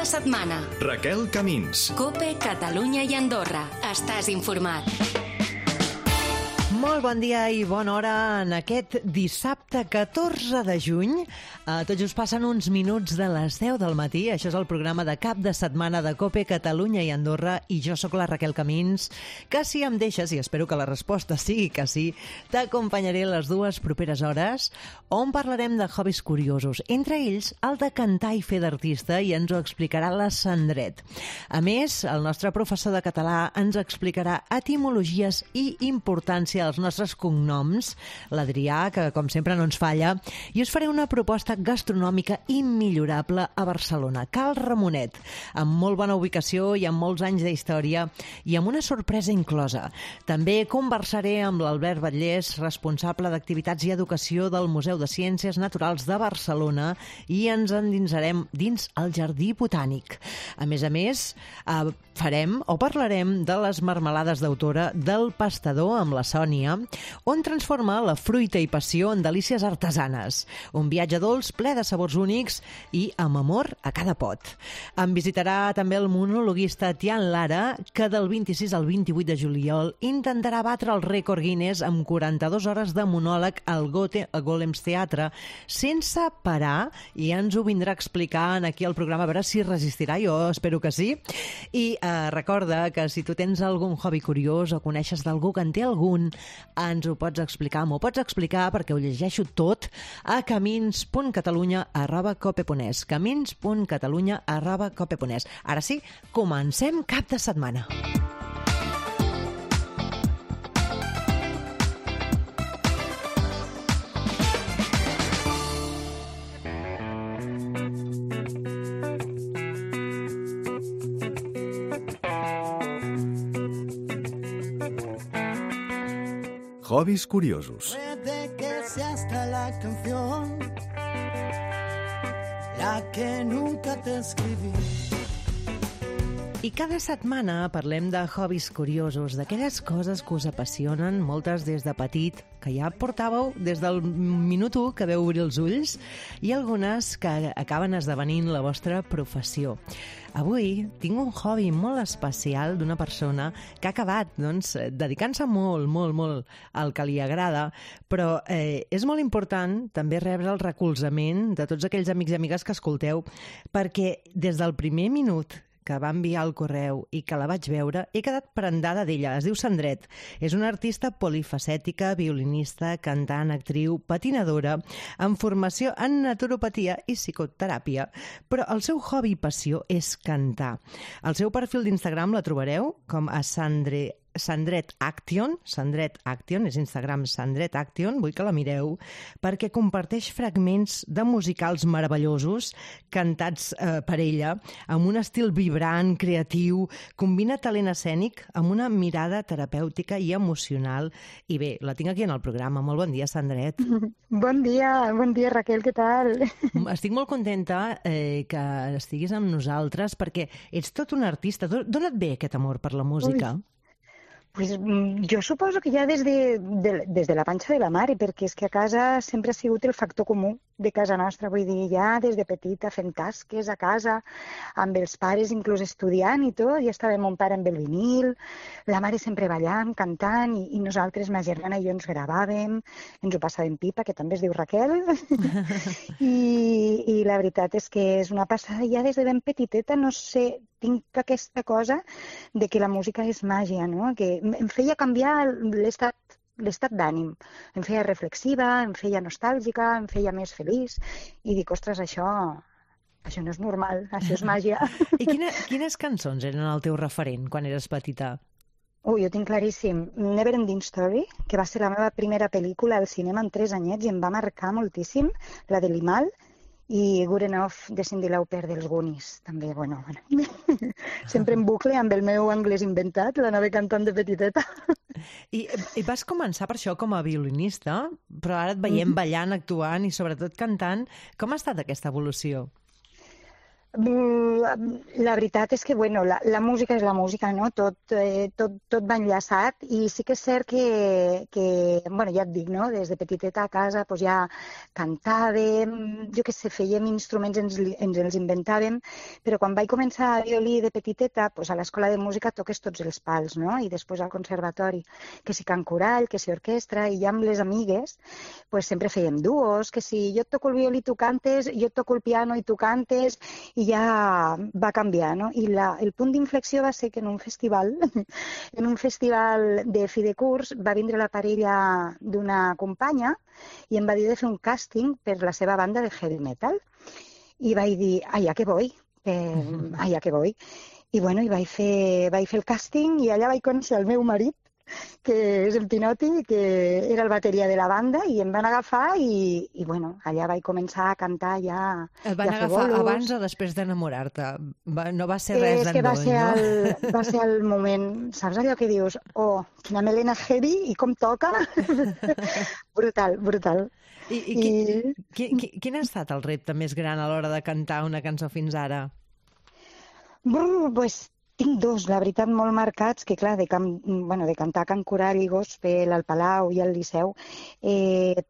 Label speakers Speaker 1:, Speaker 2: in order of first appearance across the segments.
Speaker 1: de setmana.
Speaker 2: Raquel Camins.
Speaker 1: COPE, Catalunya i Andorra. Estàs informat.
Speaker 3: Molt bon dia i bona hora en aquest dissabte 14 de juny. Tot just passen uns minuts de les 10 del matí. Això és el programa de cap de setmana de COPE, Catalunya i Andorra, i jo sóc la Raquel Camins, que si em deixes, i espero que la resposta sigui que sí, t'acompanyaré les dues properes hores, on parlarem de hobbies curiosos, entre ells el de cantar i fer d'artista, i ens ho explicarà la Sandret. A més, el nostre professor de català ens explicarà etimologies i importància dels nostres cognoms, l'Adrià, que com sempre no ens falla, i us faré una proposta gastronòmica immillorable a Barcelona, Cal Ramonet, amb molt bona ubicació i amb molts anys d'història i amb una sorpresa inclosa. També conversaré amb l'Albert Batllés, responsable d'activitats i educació del Museu de Ciències Naturals de Barcelona, i ens endinsarem dins el Jardí Botànic. A més, farem o parlarem de les marmelades d'autora del Pastador amb la Sònia, on transforma la fruita i passió en delícies artesanes. Un viatge dolç ple de sabors únics i amb amor a cada pot. Em visitarà també el monologuista Tian Lara, que del 26 al 28 de juliol intentarà batre el rècord Guinness amb 42 hores de monòleg al Golems Teatre sense parar, i ens ho vindrà a explicar aquí al programa, a veure si resistirà, jo espero que sí. I recorda que si tu tens algun hobby curiós o coneixes d'algú que en té algun, ens ho pots explicar, m'ho pots explicar, perquè ho llegeixo tot a camins.catalunya@cope.es, camins.catalunya@cope.es. Ara sí, comencem cap de setmana.
Speaker 2: Hobbies curiosos.
Speaker 4: Puede que sea hasta la canción la que nunca te escribí.
Speaker 3: I cada setmana parlem de hobbies curiosos, d'aquelles coses que us apassionen, moltes des de petit, que ja portàveu des del minut 1 que veu obrir els ulls, i algunes que acaben esdevenint la vostra professió. Avui tinc un hobby molt especial d'una persona que ha acabat dedicant-se molt al que li agrada, però és molt important també rebre el recolzament de tots aquells amics i amigues que escolteu, perquè des del primer minut que va enviar el correu i que la vaig veure, he quedat prendada d'ella. Es diu Sandret. És una artista polifacètica, violinista, cantant, actriu, patinadora, amb formació en naturopatia i psicoteràpia, però el seu hobby i passió és cantar. Al seu perfil d'Instagram la trobareu com a Sandret Action, és Instagram Sandret Action, vull que la mireu, perquè comparteix fragments de musicals meravellosos cantats per ella, amb un estil vibrant, creatiu, combina talent escènic amb una mirada terapèutica i emocional. I bé, la tinc aquí en el programa. Molt bon dia, Sandret.
Speaker 5: Bon dia Raquel, què tal?
Speaker 3: Estic molt contenta que estiguis amb nosaltres, perquè ets tot un artista. D'on et ve aquest amor per la música?
Speaker 5: Pues jo suposo que ja des de la panxa de la mare, perquè és que a casa sempre ha sigut el factor comú de casa nostra, vull dir, ja des de petita fent tasques a casa, amb els pares inclús estudiant i tot, ja estava mon pare amb el vinil, la mare sempre ballant, cantant, i nosaltres, ma germana i jo, ens gravàvem, ens ho passàvem pipa, que també es diu Raquel, i la veritat és que és una passada ja des de ben petiteta, no sé, tinc aquesta cosa de que la música és màgia, no? Que em feia canviar l'estat d'ànim, em feia reflexiva, em feia nostàlgica, em feia més feliç, i dic, ostres, això no és normal, això és màgia.
Speaker 3: I quines cançons eren el teu referent quan eres petita?
Speaker 5: Jo tinc claríssim Never Ending Story, que va ser la meva primera pel·lícula al cinema amb 3 anyets i em va marcar moltíssim, la de Limal, i Good Enough de Cyndi Lauper dels Goonies, també, bueno, sempre en bucle amb el meu anglès inventat, l'anava cantant de petiteta.
Speaker 3: I vas començar per això com a violinista, però ara et veiem ballant, actuant i sobretot cantant. Com ha estat aquesta evolució?
Speaker 5: La veritat és que, bueno, la música és la música, no? Tot va enllaçat i sí que és cert que bueno, ja et dic, no? Des de petiteta a casa doncs ja cantàvem, jo què sé, fèiem instruments, ens els inventàvem, però quan vaig començar a violí de petiteta, doncs a l'escola de música toques tots els pals, no? I després al conservatori, que si cant coral, que si orquestra, i ja amb les amigues doncs sempre fèiem duos, que si jo et toco el violí tu cantes, jo et toco el piano i tu cantes, i ja va canviar, no? I el punt d'inflexió va ser que en un festival de fi de curs va vindre la parella d'una companya i em va dir de fer un càsting per la seva banda de heavy metal. I vaig dir, allà que voy, allà que voy. I bueno, i vaig fer el càsting i allà vaig conèixer el meu marit, que és el Pinoti, que era el bateria de la banda, i em van agafar i bueno, allà vaig començar a cantar ja.
Speaker 3: Et van agafar abans o després d'enamorar-te? No va ser res d'endoll, no?
Speaker 5: Va ser el moment, saps allò que dius, oh, quina melena heavy i com toca? Brutal, brutal.
Speaker 3: Quin ha estat el repte més gran a l'hora de cantar una cançó fins ara?
Speaker 5: Pues tinc dos, la veritat, molt marcats, que clar, de cantar cant coral i gospel al Palau i al Liceu,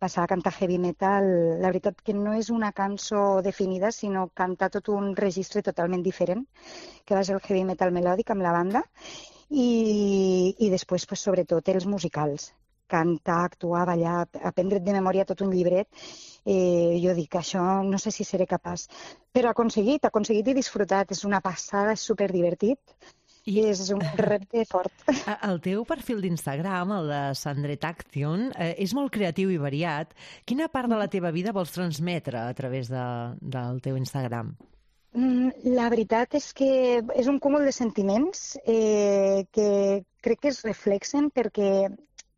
Speaker 5: passar a cantar heavy metal, la veritat que no és una cançó definida, sinó cantar tot un registre totalment diferent, que va ser el heavy metal melòdic amb la banda, i després, pues, sobretot, els musicals. Cantar, actuar, ballar, aprendre't de memòria tot un llibret, jo dic, això no sé si seré capaç. Però aconseguit i disfrutat, és una passada, és superdivertit i és un repte fort.
Speaker 3: El teu perfil d'Instagram, el de Sandret Action, és molt creatiu i variat. Quina part de la teva vida vols transmetre a través del teu Instagram?
Speaker 5: La veritat és que és un cúmul de sentiments que crec que es reflexen perquè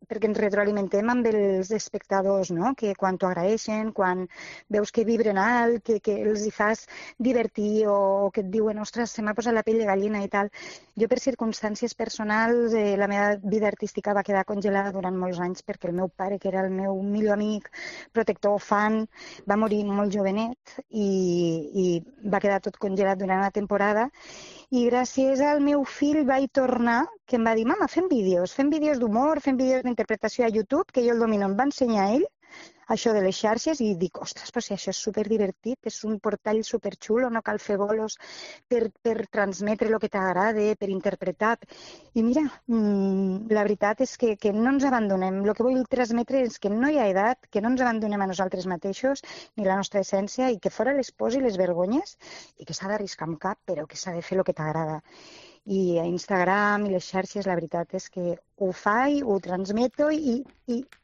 Speaker 5: ens retroalimentem amb els espectadors, no? Que quan t'ho agraeixen, quan veus que vibren alt, que els hi fas divertir o que et diuen, ostres, se m'ha posat la pell de gallina i tal. Jo, per circumstàncies personals, la meva vida artística va quedar congelada durant molts anys perquè el meu pare, que era el meu millor amic, protector, fan, va morir molt jovenet i va quedar tot congelat durant una temporada. I gràcies al meu fill vaig tornar, que em va dir, mama, fem vídeos d'humor, fem vídeos d'interpretació a YouTube, que jo el domino, em va ensenyar ell això de les xarxes i dic, ostres, però si això és superdivertit, és un portal superxulo, no cal fer bolos per transmetre el que t'agrada, per interpretar. I mira, la veritat és que no ens abandonem. El que vull transmetre és que no hi ha edat, que no ens abandonem a nosaltres mateixos, ni la nostra essència, i que fora les pors i les vergonyes, i que s'ha d'arriscar amb cap, però que s'ha de fer el que t'agrada. I a Instagram i les xarxes, la veritat és que ho faig, ho transmeto i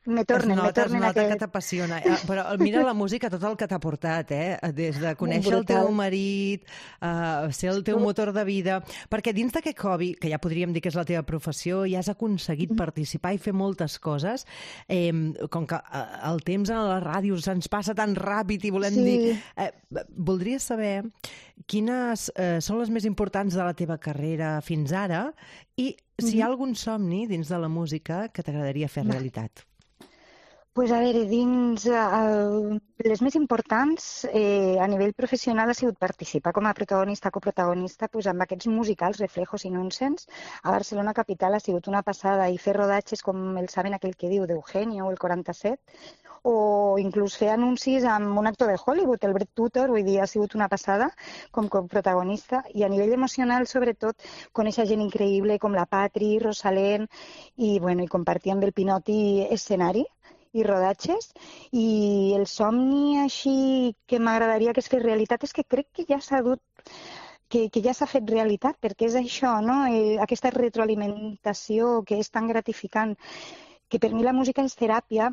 Speaker 5: me tornen.
Speaker 3: Es nota que t'apassiona. Però mira la música, tot el que t'ha portat, des de conèixer el teu marit, ser el teu motor de vida, perquè dins d'aquest hobby, que ja podríem dir que és la teva professió, ja has aconseguit participar i fer moltes coses, com que el temps a la ràdio se'ns passa tan ràpid i volem dir... Voldria saber quines són les més importants de la teva carrera fins ara i si hi ha algun somni dins de la música que t'agradaria fer realitat.
Speaker 5: Pues a veure, dins les més importants a nivell professional ha sigut participar com a protagonista, coprotagonista, pues, amb aquests musicals, Reflejos i Nonsens. A Barcelona capital ha sigut una passada i fer rodatges com el Saben aquell que diu d'Eugenio o el 47, o inclús fer anuncis amb un actor de Hollywood, el Brett Tutor, vull dir, ha sigut una passada com protagonista. I a nivell emocional, sobretot, conèixer gent increïble com la Patri, Rosalén, i compartir amb el Pinoti escenari i rodatges. I el somni així que m'agradaria que es fes realitat és que crec que ja s'ha dut que ja s'ha fet realitat, perquè és això, no? Aquesta retroalimentació que és tan gratificant, que per mi la música és teràpia,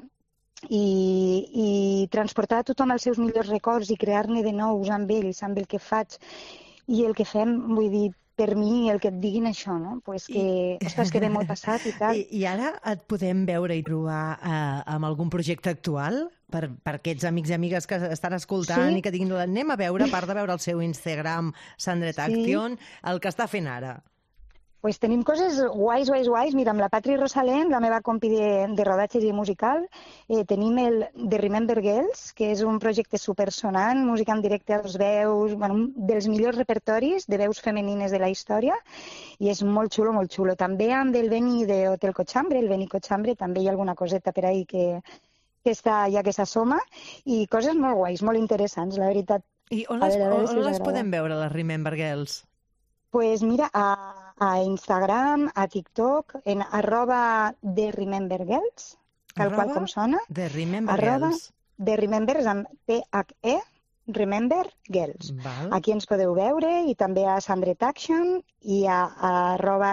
Speaker 5: i transportar a tothom els seus millors records i crear-ne de nous amb ells, amb el que faig i el que fem, vull dir, per mi el que et diguin això, no? Pues que, ostres, que ve molt passat i tal.
Speaker 3: I ara et podem veure i trobar amb algun projecte actual per aquests amics i amigues que estan escoltant i que diguin, anem a veure, a part de veure el seu Instagram, Sandret Action, el que està fent ara.
Speaker 5: Pues tenim coses guais. Mira, amb la Patri Rosalén, la meva compi de rodatges i musical, tenim el The Remember Girls, que és un projecte supersonant, música en directe als veus, bueno, un dels millors repertoris de veus femenines de la història, i és molt xulo, molt xulo. També amb el Beni de Hotel Cochambre, el Beni Cochambre, també hi ha alguna coseta per ahí que està ja que s'assoma, i coses molt guais, molt interessants, la veritat.
Speaker 3: I on les podem veure, les Remember Girls?
Speaker 5: Pues mira, a Instagram, a TikTok, en @TheRememberGirls, tal qual com sona.
Speaker 3: The Remember Girls.
Speaker 5: The Remember és amb THE, Remember Girls.
Speaker 3: Val.
Speaker 5: Aquí ens podeu veure, i també a Sandret Action i a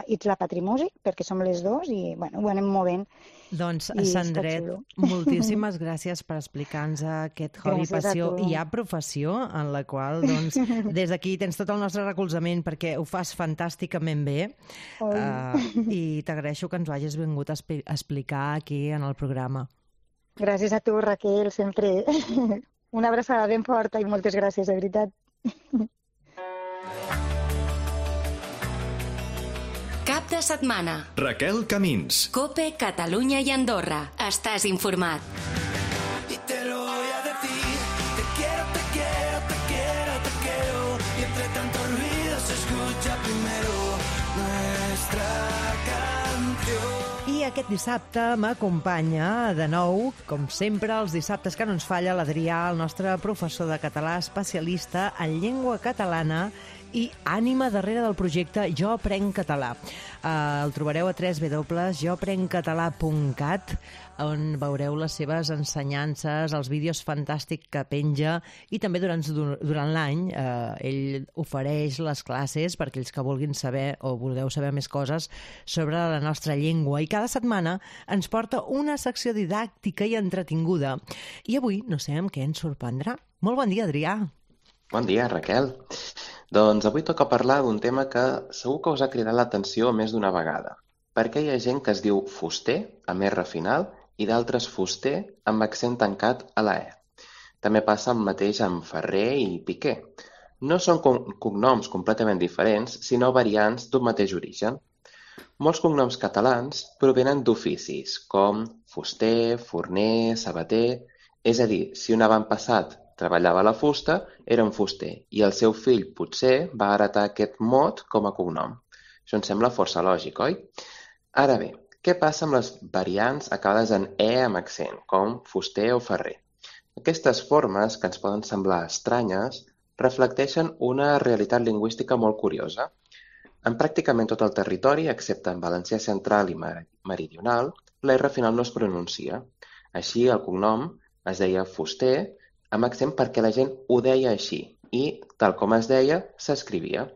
Speaker 5: @It'sLaPatrimusic, perquè som les dos i bueno, ho anem movent.
Speaker 3: Doncs, Sandret, moltíssimes gràcies per explicar-nos aquest hobby, passió i ja professió, en la qual, doncs, des d'aquí tens tot el nostre recolzament perquè ho fas fantàsticament bé, i t'agraeixo que ens ho hagis vingut a explicar aquí en el programa.
Speaker 5: Gràcies a tu, Raquel, sempre. Una abraçada ben forta i moltes gràcies, de veritat.
Speaker 1: Cap de setmana.
Speaker 2: Raquel Camins.
Speaker 1: COPE, Catalunya i Andorra. Estàs informat.
Speaker 4: Y te lo voy a decir, te quiero, te quiero, te quiero, te quiero. Y entre tanto ruido se escucha primero nuestra canción.
Speaker 3: I aquest dissabte m'acompanya de nou, com sempre, els dissabtes que no ens falla, l'Adrià, el nostre professor de català especialista en llengua catalana i ànima darrere del projecte Jo Aprenc Català. El trobareu a www.joaprenccatalà.cat, on veureu les seves ensenyances, els vídeos fantàstics que penja, i també durant l'any ell ofereix les classes per aquells que vulguin saber o vulgueu saber més coses sobre la nostra llengua, i cada setmana ens porta una secció didàctica i entretinguda. I avui no sé amb què ens sorprendrà. Molt bon dia, Adrià.
Speaker 6: Bon dia, Raquel. Doncs avui toca parlar d'un tema que segur que us ha cridat l'atenció més d'una vegada, perquè hi ha gent que es diu fuster, amb R final, i d'altres fuster, amb accent tancat a la E. També passa el mateix amb Ferrer i Piqué. No són cognoms completament diferents, sinó variants d'un mateix origen. Molts cognoms catalans provenen d'oficis, com fuster, forner, sabater. És a dir, si un avantpassat treballava a la fusta, era un fuster, i el seu fill potser va heretar aquest mot com a cognom. Això ens sembla força lògic, oi? Ara bé, què passa amb les variants acabades en E amb accent, com fuster o ferrer? Aquestes formes, que ens poden semblar estranyes, reflecteixen una realitat lingüística molt curiosa. En pràcticament tot el territori, excepte en valencià central i meridional, la R final no es pronuncia. Així, el cognom es deia fuster, amb accent perquè la gent ho deia així i, tal com es deia, s'escrivia.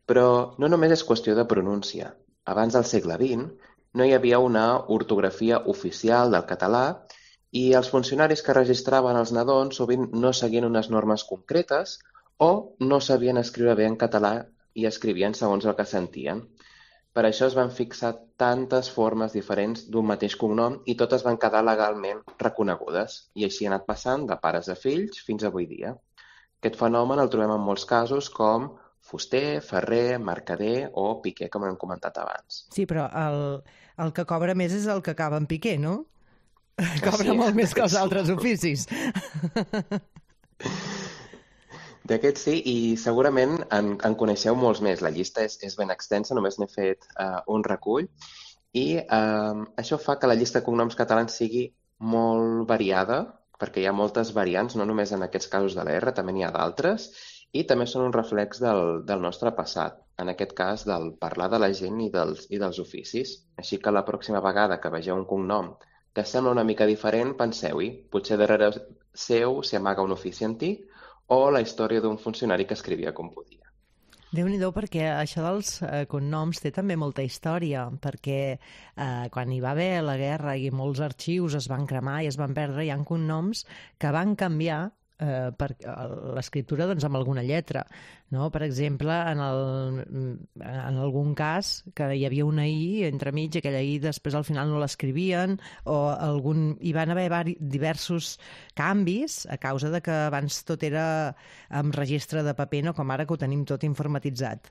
Speaker 6: Però no només és qüestió de pronúncia. Abans del segle XX no hi havia una ortografia oficial del català i els funcionaris que registraven els nadons sovint no seguien unes normes concretes o no sabien escriure bé en català i escrivien segons el que sentien. Per això es van fixar tantes formes diferents d'un mateix cognom i totes van quedar legalment reconegudes. I així ha anat passant de pares a fills fins avui dia. Aquest fenomen el trobem en molts casos com fuster, ferrer, mercader o piquer, com hem comentat abans.
Speaker 3: Sí, però el que cobra més és el que acaba en piquer, no? Cobra molt més que els altres oficis.
Speaker 6: D'aquests sí, i segurament en coneixeu molts més. La llista és ben extensa, només n'he fet un recull. I això fa que la llista de cognoms catalans sigui molt variada, perquè hi ha moltes variants, no només en aquests casos de la R, també n'hi ha d'altres, i també són un reflex del nostre passat, en aquest cas del parlar de la gent i dels oficis. Així que la pròxima vegada que vegeu un cognom que sembla una mica diferent, penseu-hi, potser darrere seu s'hi amaga un ofici antic o la història d'un funcionari que escrivia com podia.
Speaker 3: Déu-n'hi-do, perquè això dels cognoms té també molta història, perquè quan hi va haver la guerra i molts arxius es van cremar i es van perdre, hi ha cognoms que van canviar l'escriptura doncs, amb alguna lletra. No? Per exemple, en algun cas que hi havia una I entremig, aquella I després al final no l'escrivien, o hi van haver diversos canvis a causa de que abans tot era amb registre de paper, no com ara que ho tenim tot informatitzat.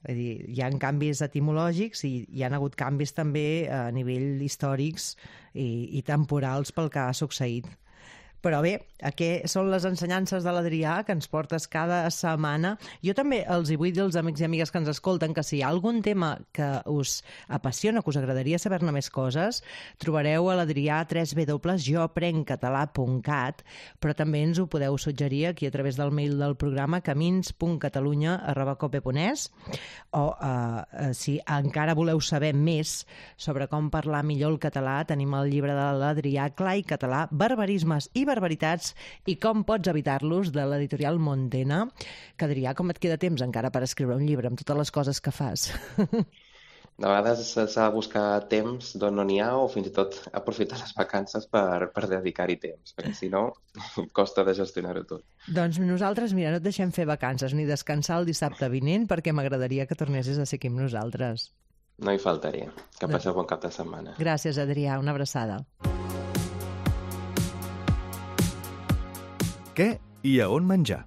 Speaker 3: Vull dir, hi ha canvis etimològics i hi ha hagut canvis també a nivell històrics i temporals pel que ha succeït. Però bé, aquestes són les ensenyances de l'Adrià que ens portes cada setmana. Jo també els hi vull dir als amics i amigues que ens escolten que si hi ha algun tema que us apassiona, que us agradaria saber-ne més coses, trobareu a l'Adrià a www.joaprencatalà.cat, però també ens ho podeu suggerir aquí a través del mail del programa camins.catalunya@cope.es, o si encara voleu saber més sobre com parlar millor el català, tenim el llibre de l'Adrià Clar i Català, barbarismes i barbaritats i com pots evitar-los, de l'editorial Montena. Que, Adrià, com et queda temps encara per escriure un llibre amb totes les coses que fas?
Speaker 6: De vegades s'ha de buscar temps d'on no n'hi ha, o fins i tot aprofitar les vacances per dedicar-hi temps, perquè si no costa de gestionar-ho tot.
Speaker 3: Doncs nosaltres, mira, no et deixem fer vacances ni descansar el dissabte vinent, perquè m'agradaria que tornessis a ser aquí amb nosaltres.
Speaker 6: No hi faltaria. Que passeu bon cap de setmana.
Speaker 3: Gràcies, Adrià. Una abraçada.
Speaker 2: Què i a on menjar?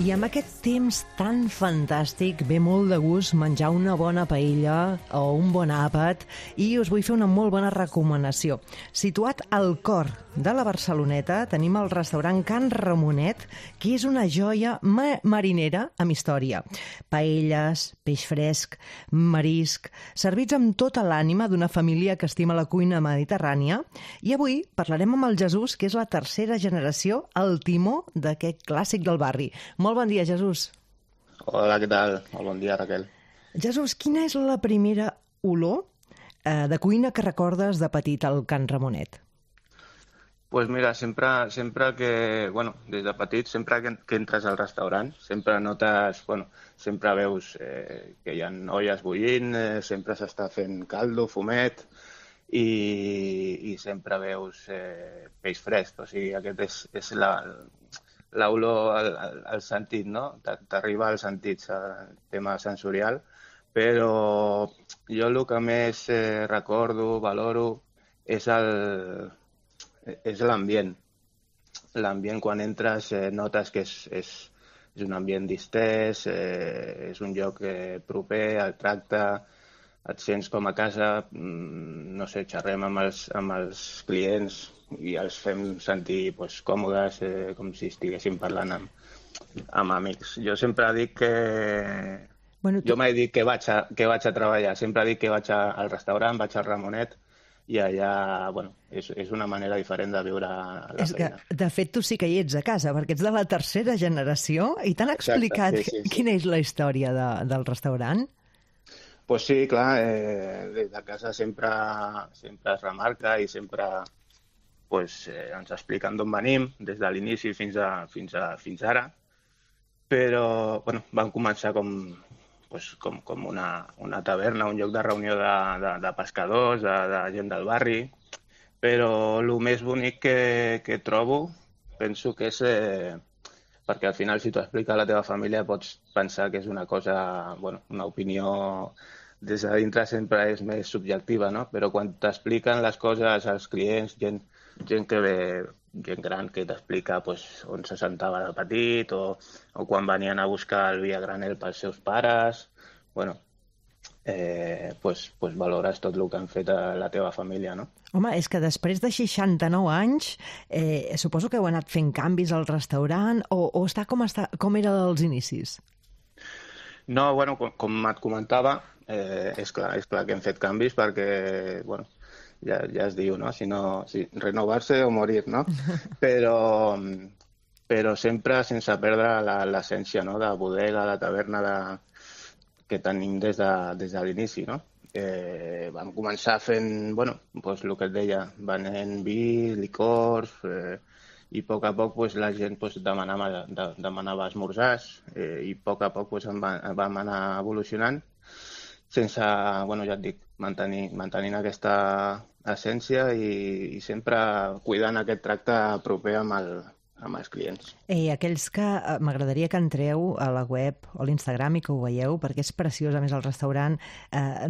Speaker 3: I amb aquest temps tan fantàstic ve molt de gust menjar una bona paella o un bon àpat, i us vull fer una molt bona recomanació. Situat al cor de la Barceloneta tenim el restaurant Can Ramonet, que és una joia marinera amb història. Paelles, peix fresc, marisc, servits amb tota l'ànima d'una família que estima la cuina mediterrània. I avui parlarem amb el Jesús, que és la tercera generació al timó d'aquest clàssic del barri. Molt bon dia, Jesús.
Speaker 7: Hola, què tal? Molt bon dia, Raquel.
Speaker 3: Jesús, quina és la primera olor de cuina que recordes de petit al Can Ramonet?
Speaker 7: Pues mira, sempre que, bueno, des de petit, sempre que entres al restaurant, sempre notes, bueno, sempre veus que hi ha olles bullint, sempre s'està fent caldo, fumet, i sempre veus peix fresc. O sigui, aquest és l'olor al sentit, no? T'arriba als sentits, el tema sensorial, però jo el que més recordo, valoro, és l'ambient. L'ambient, quan entres, notes que és un ambient distès, és un lloc proper, el tracte, et sents com a casa, no sé, xerrem amb els clients i els fem sentir còmodes, com si estiguéssim parlant amb amics. Jo sempre dic que... Jo mai dic que vaig a treballar, sempre dic que vaig al restaurant, vaig al Ramonet, i allà, bueno, és una manera diferent de viure la feina.
Speaker 3: De fet, tu sí que hi ets a casa, perquè ets de la tercera generació, i t'han explicat quina és la història del restaurant?
Speaker 7: Pues sí, clar, des de casa sempre es remarca i sempre ens expliquen d'on venim, des de l'inici fins ara, però vam començar com una taverna, un lloc de reunió de pescadors, de gent del barri, però el més bonic que trobo, penso que és... perquè al final, si t'ho explica a la teva família, pots pensar que és una cosa, una opinió des de dintre sempre és més subjectiva, no? Però quan t'expliquen les coses als clients, gent que ve, gent gran que t'explica on se sentava de petit, o quan venien a buscar el vi a granel pels seus pares, valores tot el que han fet a la teva família, no?
Speaker 3: Home, és que després de 69 anys, suposo que heu anat fent canvis al restaurant, o està com era als inicis?
Speaker 7: No, com et comentava, és clar que hem fet canvis perquè, ja es diu, no? Si renovar-se o morir, no? Però sempre sense perdre l'essència, no? De bodega, de taverna, que tenim des de l'inici, no? Vam començar fent, bueno, doncs el que et deia, venent vi, licors, i a poc pues, la gent pues, demanava esmorzars, i a poc pues, vam anar evolucionant sense, bueno, ja et dic, mantenint aquesta essència i sempre cuidant aquest tracte proper amb els clients.
Speaker 3: Aquells que m'agradaria que entreu a la web o a l'Instagram i que ho veieu, perquè és preciós, a més, el restaurant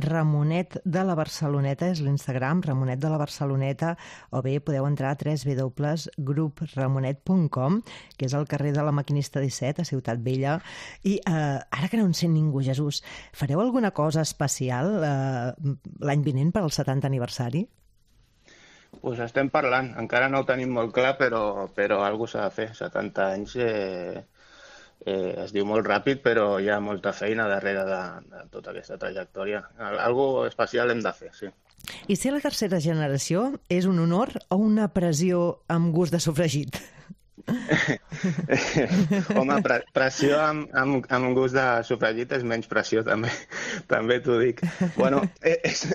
Speaker 3: Ramonet de la Barceloneta, és l'Instagram, Ramonet de la Barceloneta, o bé podeu entrar a www.grupramonet.com, que és al carrer de la Maquinista 17, a Ciutat Vella. I ara que no en sent ningú, Jesús, fareu alguna cosa especial l'any vinent per al 70 aniversari?
Speaker 7: Pues estem parlant, encara no ho tenim molt clar, però alguna s'ha de fer. 70 anys es diu molt ràpid, però hi ha molta feina darrere de tota aquesta trajectòria. Algo especial hem de fer, sí.
Speaker 3: I ser la tercera generació és un honor o una pressió amb gust de sofregit?
Speaker 7: Home, pressió amb gust de sofregit és menys pressió, també t'ho dic. Bueno, és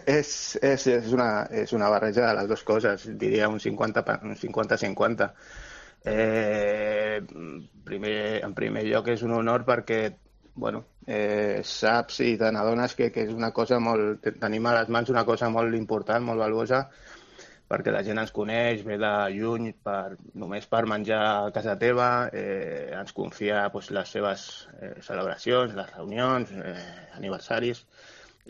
Speaker 7: una barreja de les dues coses, diria un 50-50. En primer lloc és un honor perquè bueno, saps i te n'adones que és una cosa molt... Tenim a les mans una cosa molt important, molt valuosa, perquè la gent ens coneix, ve de lluny només per menjar a casa teva, ens confia pues, les seves celebracions, les reunions, aniversaris,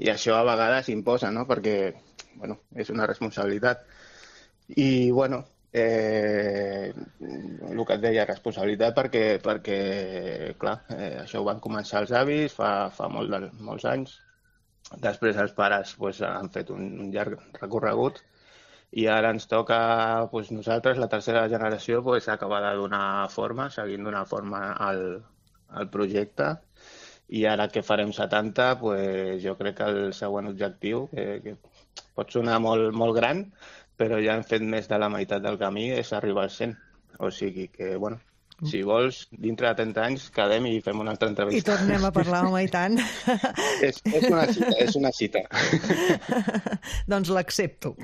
Speaker 7: i això a vegades imposa, no? Perquè bueno, és una responsabilitat. I bueno, el que et deia, responsabilitat perquè clar, això ho van començar els avis fa molts anys, després els pares pues, han fet un llarg recorregut, i ara ens toca pues, nosaltres, la tercera generació, pues, acabar de donar forma, seguint donar forma al projecte. I ara que farem 70, pues, jo crec que el següent objectiu, que pot sonar molt, molt gran, però ja hem fet més de la meitat del camí, és arribar al 100. O sigui que, bueno, si vols, dintre de 30 anys, quedem i fem una altra entrevista.
Speaker 3: I tornem a parlar, home, i tant.
Speaker 7: És una cita.
Speaker 3: Doncs l'accepto.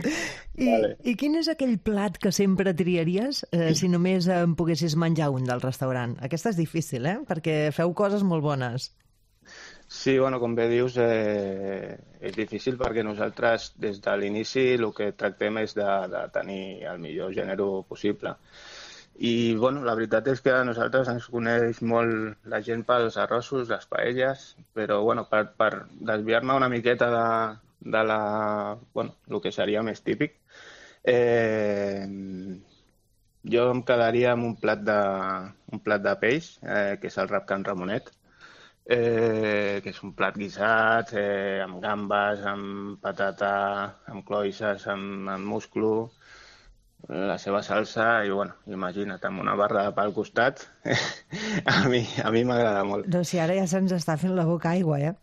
Speaker 7: Vale.
Speaker 3: I quin és aquell plat que sempre triaries si només en poguessis menjar un del restaurant? Aquesta és difícil, perquè feu coses molt bones.
Speaker 7: Sí, bueno, com bé dius, és difícil perquè nosaltres des de l'inici el que tractem és de tenir el millor gènere possible. I bueno, la veritat és que a nosaltres ens coneix molt la gent pels arrossos, les paelles, però bueno, per desviar-me una miqueta de el que seria més típic, jo em quedaria amb un plat de peix, que és el rap Can Ramonet, que és un plat guisat, amb gambes, amb patata, amb cloïsses, amb musclo, la seva salsa i, bueno, imagina't, amb una barra de pa al costat, a mi m'agrada molt.
Speaker 3: Doncs si ara ja se'ns està fent la boca aigua, ja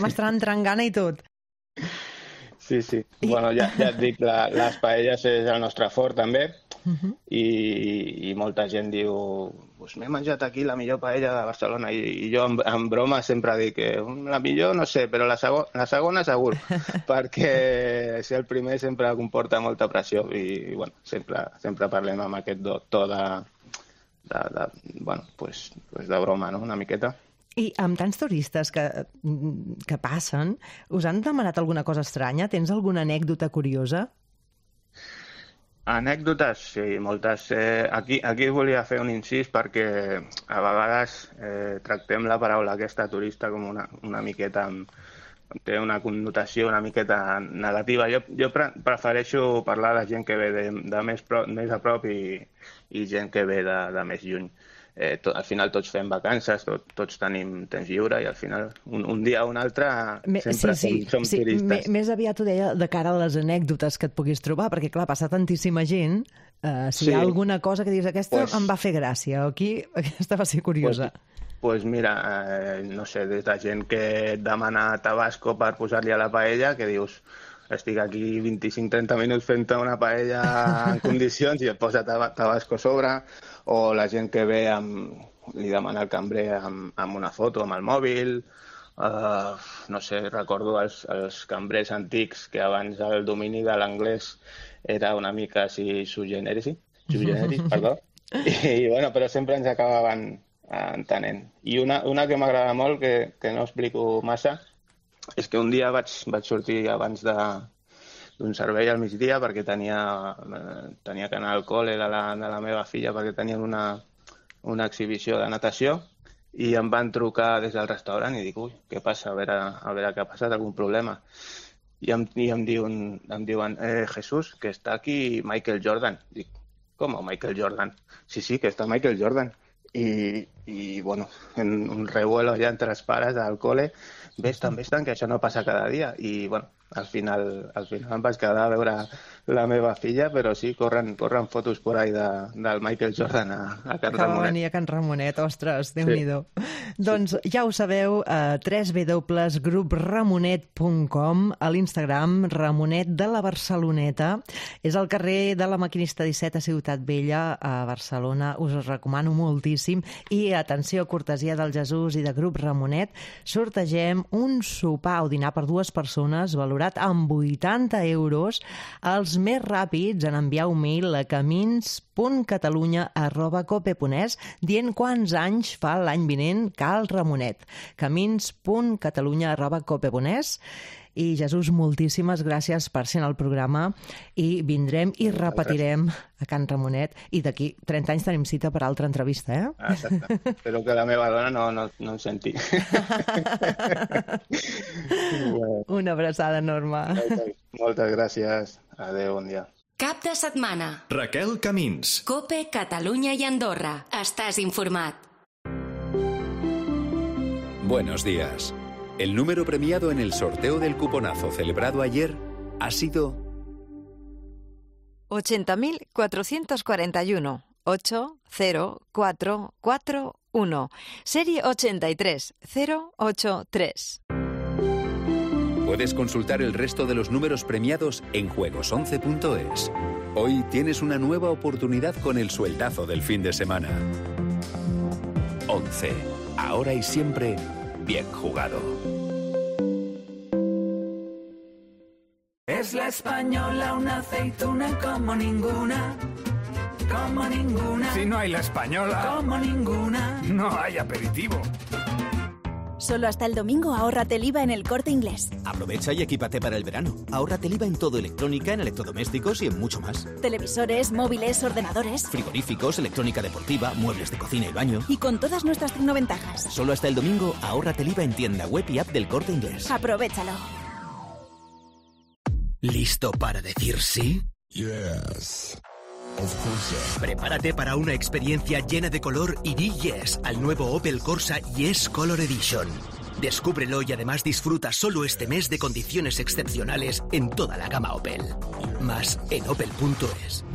Speaker 3: m'està entrant gana i tot.
Speaker 7: Sí. Bueno, ja et dic, les paelles és el nostre fort, també, i molta gent diu pues m'he menjat aquí la millor paella de Barcelona, i jo en broma sempre dic que la millor no sé, però la segona segur, perquè ser el primer sempre comporta molta pressió i bueno, sempre parlem amb aquest to de broma, no? Una miqueta.
Speaker 3: I amb tants turistes que passen, us han demanat alguna cosa estranya? Tens alguna anècdota curiosa?
Speaker 7: Anècdotes, sí, moltes. Aquí volia fer un incís perquè a vegades tractem la paraula aquesta turista com una miqueta, té una connotació una miqueta negativa. Jo prefereixo parlar de gent que ve de més a prop i gent que ve de més lluny. Al final tots fem vacances, tots tenim temps lliure i al final un dia o un altre sempre som turistes.
Speaker 3: Més aviat ho deia de cara a les anècdotes que et puguis trobar, perquè clar, passa tantíssima gent, si hi ha alguna cosa que dius aquesta em va fer gràcia, o aquí aquesta va ser curiosa.
Speaker 7: Doncs mira, no sé, des de gent que et demana tabasco per posar-li a la paella, que dius estic aquí 25-30 minuts fent una paella en condicions i et posa tabasco a sobre, o la gent que ve li demana al cambrer amb una foto amb el mòbil, no sé, recordo els cambrers antics que abans el domini de l'anglès era una mica així sui generis, perdó. I bueno, però sempre ens acabaven entenent. I una que m'agrada molt, que no explico massa, és que un dia vaig sortir abans d'un servei al migdia perquè tenia que anar al col·le de la meva filla perquè tenien una exhibició de natació i em van trucar des del restaurant i dic, ui, què passa? A veure què ha passat, algun problema. I em diuen, Jesús, que està aquí Michael Jordan. Dic, com Michael Jordan? Sí, que està Michael Jordan. I bueno, en un revuelo ja entre els pares al col·le, ves-te'n, que això no passa cada dia. I bueno, al final em vaig quedar a veure la meva filla, però sí, corren fotos por ahí del Michael Jordan a Can Ramonet.
Speaker 3: Que va venir a Can Ramonet, ostres, Déu-n'hi-do. Doncs ja ho sabeu, www.grupramonet.com, a l'Instagram, Ramonet de la Barceloneta. És al carrer de la Maquinista 17 a Ciutat Vella, a Barcelona. Us ho recomano moltíssim. I atenció, cortesia del Jesús i de Grup Ramonet, sortegem un sopar o dinar per 2 persones valorat amb 80 euros, els més ràpids en enviar un mail a camins.catalunya@cope.es dient quants anys fa l'any vinent Cal Ramonet. camins.catalunya@cope.es. I Jesús, moltíssimes gràcies per ser en el programa i vindrem i repetirem a Can Ramonet i d'aquí 30 anys tenim cita per altra entrevista, eh?
Speaker 7: Exacte. Espero que la meva dona no em senti.
Speaker 3: Una abraçada enorme.
Speaker 7: Moltes gràcies. Adéu, bon dia.
Speaker 1: Cap de setmana.
Speaker 2: Raquel Camins.
Speaker 1: COPE, Catalunya i Andorra. Estàs informat.
Speaker 8: Buenos días. El número premiado en el sorteo del cuponazo celebrado ayer ha sido
Speaker 9: 80.441 80441, serie 83083.
Speaker 8: Puedes consultar el resto de los números premiados en juegos11.es. Hoy tienes una nueva oportunidad con el sueldazo del fin de semana. 11. Ahora y siempre, bien jugado.
Speaker 4: Es la española, una aceituna como ninguna. Como ninguna.
Speaker 10: Si no hay la española,
Speaker 4: como ninguna,
Speaker 10: no hay aperitivo.
Speaker 11: Solo hasta el domingo ahórrate el IVA en El Corte Inglés.
Speaker 12: Aprovecha y equípate para el verano. Ahórrate el IVA en todo electrónica, en electrodomésticos y en mucho más.
Speaker 11: Televisores, móviles, ordenadores.
Speaker 12: Frigoríficos, electrónica deportiva, muebles de cocina y baño.
Speaker 11: Y con todas nuestras tecnoventajas.
Speaker 12: Solo hasta el domingo ahórrate el IVA en tienda web y app del Corte Inglés.
Speaker 11: Aprovéchalo.
Speaker 13: ¿Listo para decir sí?
Speaker 14: Yes.
Speaker 13: Prepárate para una experiencia llena de color y di yes al nuevo Opel Corsa Yes Color Edition. Descúbrelo y además disfruta solo este mes de condiciones excepcionales en toda la gama Opel. Más en opel.es.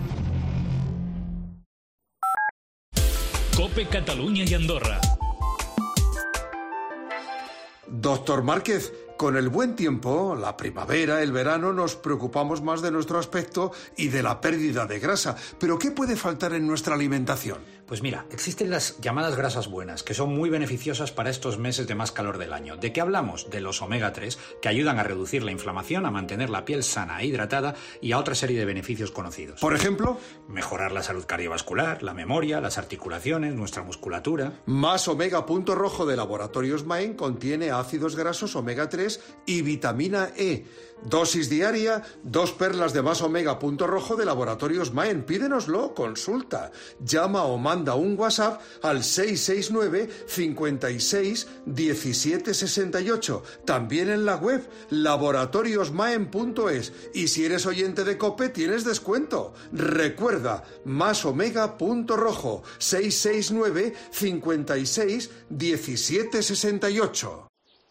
Speaker 15: COPE, Catalunya y Andorra.
Speaker 16: Doctor Márquez, con el buen tiempo, la primavera, el verano, nos preocupamos más de nuestro aspecto y de la pérdida de grasa. ¿Pero qué puede faltar en nuestra alimentación?
Speaker 17: Pues mira, existen las llamadas grasas buenas, que son muy beneficiosas para estos meses de más calor del año. ¿De qué hablamos? De los omega 3, que ayudan a reducir la inflamación, a mantener la piel sana e hidratada y a otra serie de beneficios conocidos.
Speaker 16: ¿Por ejemplo?
Speaker 17: Mejorar la salud cardiovascular, la memoria, las articulaciones, nuestra musculatura.
Speaker 16: Más Omega Punto Rojo de Laboratorios Maen contiene ácidos grasos omega 3 y vitamina E. Dosis diaria, 2 perlas de Más Omega Punto Rojo de Laboratorios Maen. Pídenoslo, consulta. Llama o manda un WhatsApp al 669 56 17 68. También en la web laboratoriosmaen.es. Y si eres oyente de COPE, tienes descuento. Recuerda, Más Omega Punto Rojo, 669 56 17 68.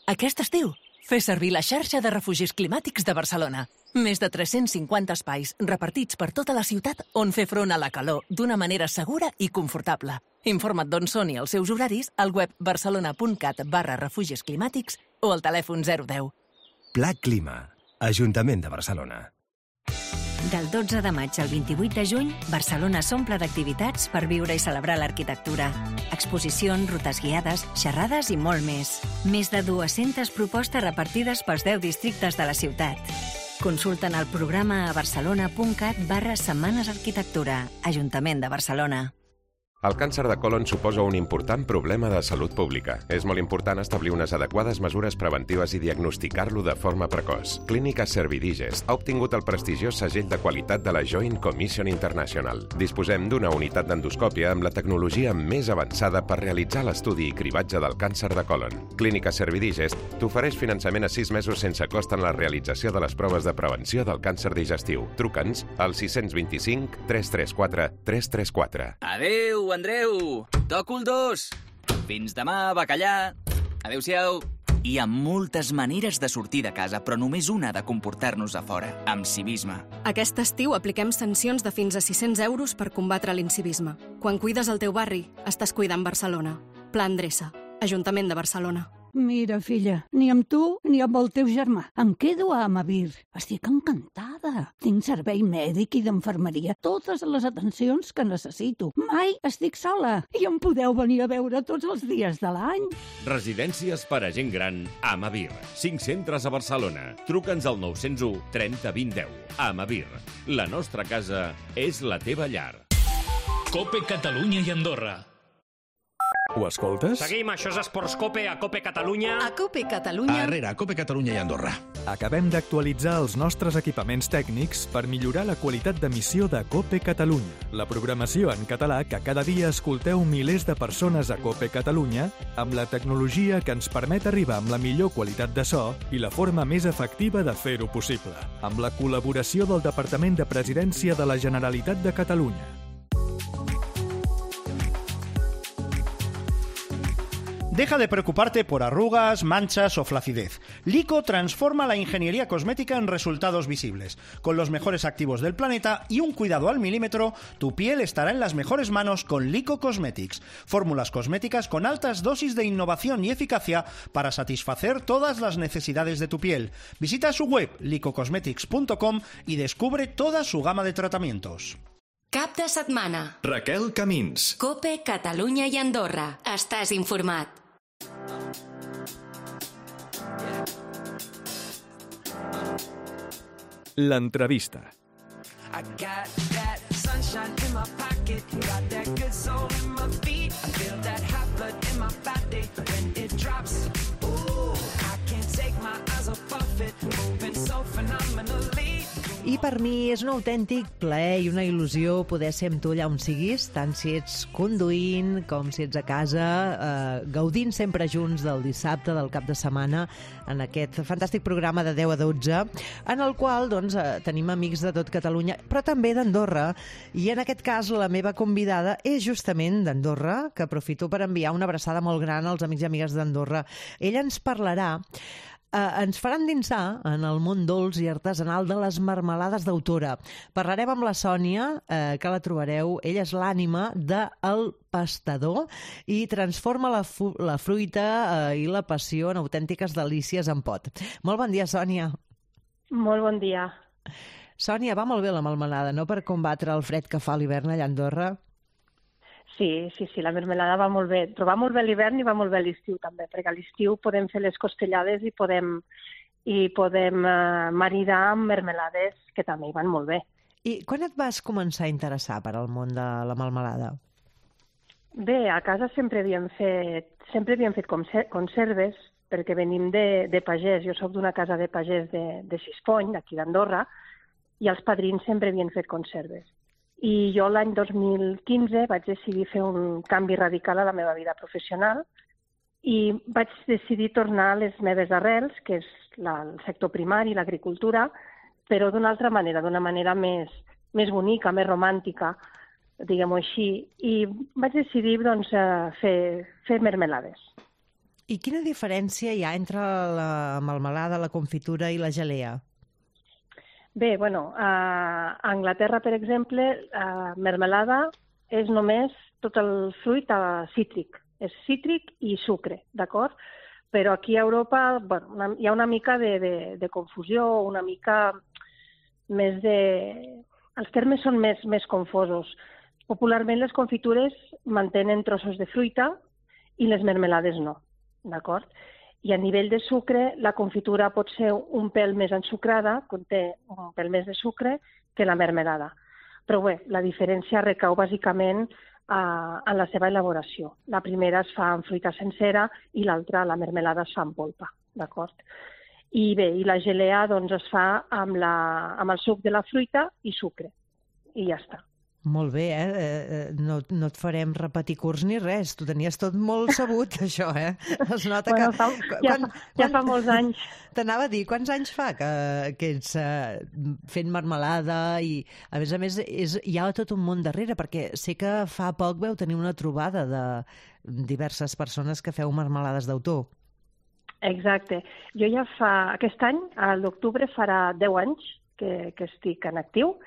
Speaker 18: Aquest estiu, fes servir la xarxa de refugis climàtics de Barcelona. Més de 350 espais repartits per tota la ciutat on fer front a la calor d'una manera segura i confortable. Informa't d'on són i els seus horaris al web barcelona.cat/refugis climàtics o al telèfon 010.
Speaker 19: Pla Clima, Ajuntament de Barcelona.
Speaker 1: Del 12 de maig al 28 de juny, Barcelona s'omple d'activitats per viure i celebrar l'arquitectura. Exposicions, rutes guiades, xerrades i molt més. Més de 200 propostes repartides pels 10 districtes de la ciutat. Consulten el programa a barcelona.cat/Setmanes Arquitectura, Ajuntament de Barcelona.
Speaker 14: El càncer de colon suposa un important problema de salut pública. És molt important establir unes adequades mesures preventives i diagnosticar-lo de forma precoç. Clínica Servidigest ha obtingut el prestigiós segell de qualitat de la Joint Commission International. Disposem d'una unitat d'endoscòpia amb la tecnologia més avançada per realitzar l'estudi i cribatge del càncer de colon. Clínica Servidigest t'ofereix finançament a 6 mesos sense cost en la realització de les proves de prevenció del càncer digestiu. Truca'ns al 625 334 334.
Speaker 19: Adéu, Andreu! Toco el 2! Fins demà, bacallà! Adéu-siau! Hi ha moltes maneres de sortir de casa, però només una de comportar-nos a fora, amb civisme.
Speaker 20: Aquest estiu apliquem sancions de fins a 600 euros per combatre l'incivisme. Quan cuides el teu barri, estàs cuidant Barcelona. Pla Endreça, Ajuntament de Barcelona.
Speaker 21: Mira, filla, ni amb tu ni amb el teu germà. Em quedo a Amavir. Estic encantada. Tinc servei mèdic i d'infermeria, totes les atencions que necessito. Mai estic sola i em podeu venir a veure tots els dies de l'any.
Speaker 22: Residències per a gent gran Amavir. 5 centres a Barcelona. Truca'ns al 901 30 20 10. Amavir. La nostra casa és la teva llar.
Speaker 15: Cope Catalunya i Andorra.
Speaker 2: Ho escoltes?
Speaker 23: Seguim, això és Esports Cope, a Cope Catalunya.
Speaker 9: A Cope Catalunya.
Speaker 2: Arrere, a Cope Catalunya i Andorra. Acabem d'actualitzar els nostres equipaments tècnics per millorar la qualitat d'emissió de Cope Catalunya, la programació en català que cada dia escolteu milers de persones a Cope Catalunya, amb la tecnologia que ens permet arribar amb la millor qualitat de so i la forma més efectiva de fer-ho possible, amb la col·laboració del Departament de Presidència de la Generalitat de Catalunya.
Speaker 24: Deja de preocuparte por arrugas, manchas o flacidez. Lico transforma la ingeniería cosmética en resultados visibles. Con los mejores activos del planeta y un cuidado al milímetro, tu piel estará en las mejores manos con Lico Cosmetics. Fórmulas cosméticas con altas dosis de innovación y eficacia para satisfacer todas las necesidades de tu piel. Visita su web licocosmetics.com y descubre toda su gama de tratamientos.
Speaker 1: Cap de setmana.
Speaker 2: Raquel Camins.
Speaker 1: Cope Catalunya i Andorra. Estàs informat.
Speaker 2: L'entrevista.
Speaker 4: I got that sunshine in my pocket, got that good soul in my feet. I feel that hot blood in my body when it drops. Ooh, I can't take my eyes off of it, moving so phenomenally.
Speaker 3: I per mi és un autèntic plaer i una il·lusió poder ser amb tu allà on siguis, tant si ets conduint com si ets a casa, gaudint sempre junts del dissabte, del cap de setmana, en aquest fantàstic programa de 10 a 12, en el qual doncs, tenim amics de tot Catalunya, però també d'Andorra, i en aquest cas la meva convidada és justament d'Andorra, que aprofito per enviar una abraçada molt gran als amics i amigues d'Andorra. Ella ens parlarà ens farà endinsar en el món dolç i artesanal de les marmelades d'autora. Parlarem amb la Sònia, que la trobareu. Ella és l'ànima del Pastador i transforma la fruita i la passió en autèntiques delícies en pot. Molt bon dia, Sònia.
Speaker 25: Molt bon dia.
Speaker 3: Sònia, va molt bé la melmelada, no?, per combatre el fred que fa a l'hivern allà a Andorra.
Speaker 25: Sí, la mermelada va molt bé. Però va molt bé l'hivern i va molt bé l'estiu també, perquè a l'estiu podem fer les costellades i podem maridar amb mermelades que també hi van molt bé.
Speaker 3: I quan et vas començar a interessar per al món de la melmelada?
Speaker 25: Bé, a casa sempre havíem fet conserves, perquè venim de pagès. Jo soc d'una casa de pagès de Sispony, d'aquí d'Andorra, i els padrins sempre havien fet conserves. I jo l'any 2015 vaig decidir fer un canvi radical a la meva vida professional i vaig decidir tornar a les meves arrels, que és el sector primari, l'agricultura, però d'una altra manera, d'una manera més bonica, més romàntica, diguem-ho així, i vaig decidir doncs, fer mermelades.
Speaker 3: I quina diferència hi ha entre la melmelada, la confitura i la gelea?
Speaker 25: Bé, a Anglaterra, per exemple, mermelada és només tot el fruit cítric. És cítric i sucre, d'acord? Però aquí a Europa hi ha una mica de confusió, una mica Els termes són més confosos. Popularment les confitures mantenen trossos de fruita i les mermelades no, d'acord? I a nivell de sucre, la confitura pot ser un pèl més ensucrada, conté un pèl més de sucre que la mermelada. Però bé, la diferència recau bàsicament en la seva elaboració. La primera es fa amb fruita sencera i l'altra, la mermelada, es fa amb polpa, d'acord? I bé, i la gelea doncs, es fa amb el suc de la fruita i sucre. I ja està.
Speaker 3: Molt bé, no et farem repetir curs ni res. Tu tenies tot molt sabut, això, Es nota que...
Speaker 25: Ja fa molts anys.
Speaker 3: T'anava a dir, quants anys fa que ets fent marmelada i, a més, hi ha tot un món darrere, perquè sé que fa poc veu tenir una trobada de diverses persones que feu marmelades d'autor.
Speaker 25: Exacte. Jo ja aquest any, a l'octubre, farà 10 anys que estic en actiu.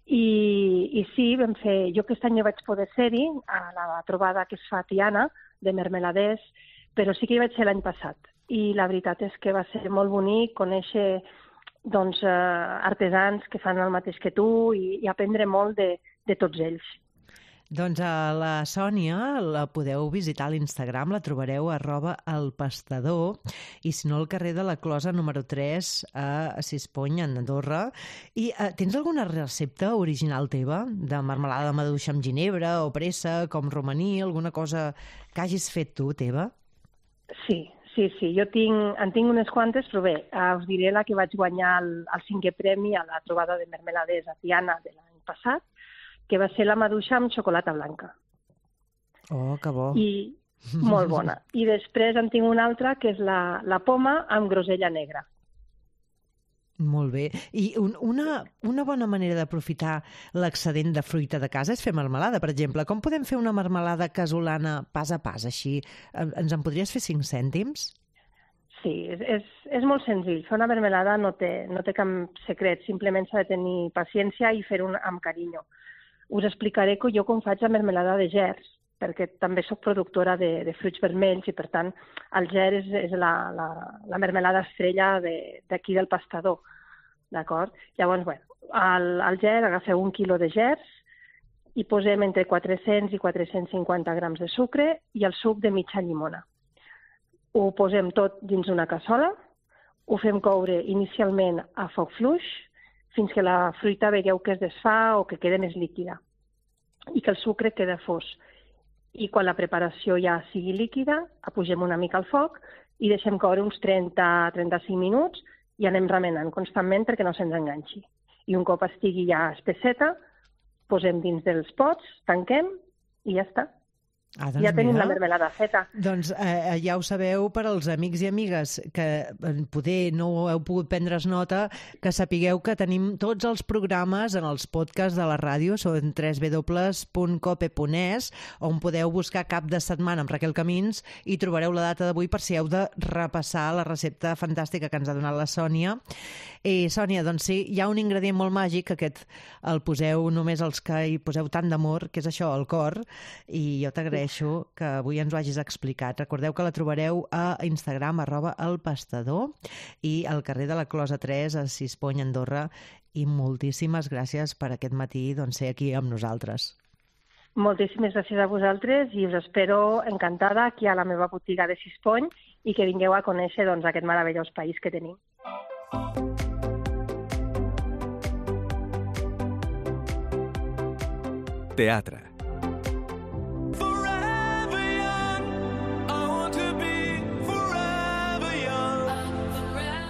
Speaker 25: I sí, vam fer... Jo aquest any no vaig poder ser-hi a la trobada que es fa a Tiana, de mermeladers, però sí que hi vaig ser l'any passat. I la veritat és que va ser molt bonic conèixer artesans que fan el mateix que tu i aprendre molt de tots ells.
Speaker 3: Doncs a la Sònia la podeu visitar a l'Instagram, la trobareu @elpastador i si no al carrer de la Closa número 3 a Sispony, a Andorra. I tens alguna recepta original teva de marmelada de maduixa amb ginebra o pressa, com romaní, alguna cosa que hagis fet tu, teva?
Speaker 25: Sí. Jo en tinc unes quantes, però bé, us diré la que vaig guanyar el 5è premi a la trobada de mermeladers a Tiana de l'any passat, que va ser la maduixa amb xocolata blanca.
Speaker 3: Oh, que bo.
Speaker 25: I molt bona. I després en tinc una altra, que és la poma amb grosella negra.
Speaker 3: Molt bé. I una bona manera d'aprofitar l'excedent de fruita de casa és fer marmelada, per exemple. Com podem fer una marmelada casolana pas a pas, així? Ens en podries fer 5 cèntims?
Speaker 25: Sí, és molt senzill. Fer una marmelada no té cap secret, simplement s'ha de tenir paciència i fer-ho amb carinyo. Us explicaré jo com faig la marmelada de gers, perquè també sóc productora de fruits vermells i, per tant, el gers és la marmelada estrella d'aquí del Pastador, d'acord? Llavors, bé, al gers agafeu 1 quilo de gers i posem entre 400 i 450 grams de sucre i el suc de mitja llimona. Ho posem tot dins una cassola, ho fem coure inicialment a foc fluix, fins que la fruita veieu que es desfà o que queda més líquida i que el sucre queda fos. I quan la preparació ja sigui líquida, apugem una mica al foc i deixem coure uns 30-35 minuts i anem remenant constantment perquè no se'ns enganxi. I un cop estigui ja espesseta, posem dins dels pots, tanquem i ja està.
Speaker 3: Doncs
Speaker 25: ja tenim la marmelada feta.
Speaker 3: Doncs ja ho sabeu, per als amics i amigues que poder no heu pogut prendre's nota, que sapigueu que tenim tots els programes en els podcasts de la ràdio, són www.cope.es, on podeu buscar Cap de Setmana amb Raquel Camins i trobareu la data d'avui per si heu de repassar la recepta fantàstica que ens ha donat la Sònia. I Sònia, doncs sí, hi ha un ingredient molt màgic, aquest el poseu només els que hi poseu tant d'amor, que és això, el cor, i jo t'agraeixo que avui ens ho hagis explicat. Recordeu que la trobareu a Instagram, @elpastador, i al carrer de la Closa 3, a Sispony, Andorra, i moltíssimes gràcies per aquest matí ser aquí amb nosaltres.
Speaker 25: Moltíssimes gràcies a vosaltres i us espero encantada aquí a la meva botiga de Sispony i que vingueu a conèixer aquest meravellós país que tenim.
Speaker 2: Teatre.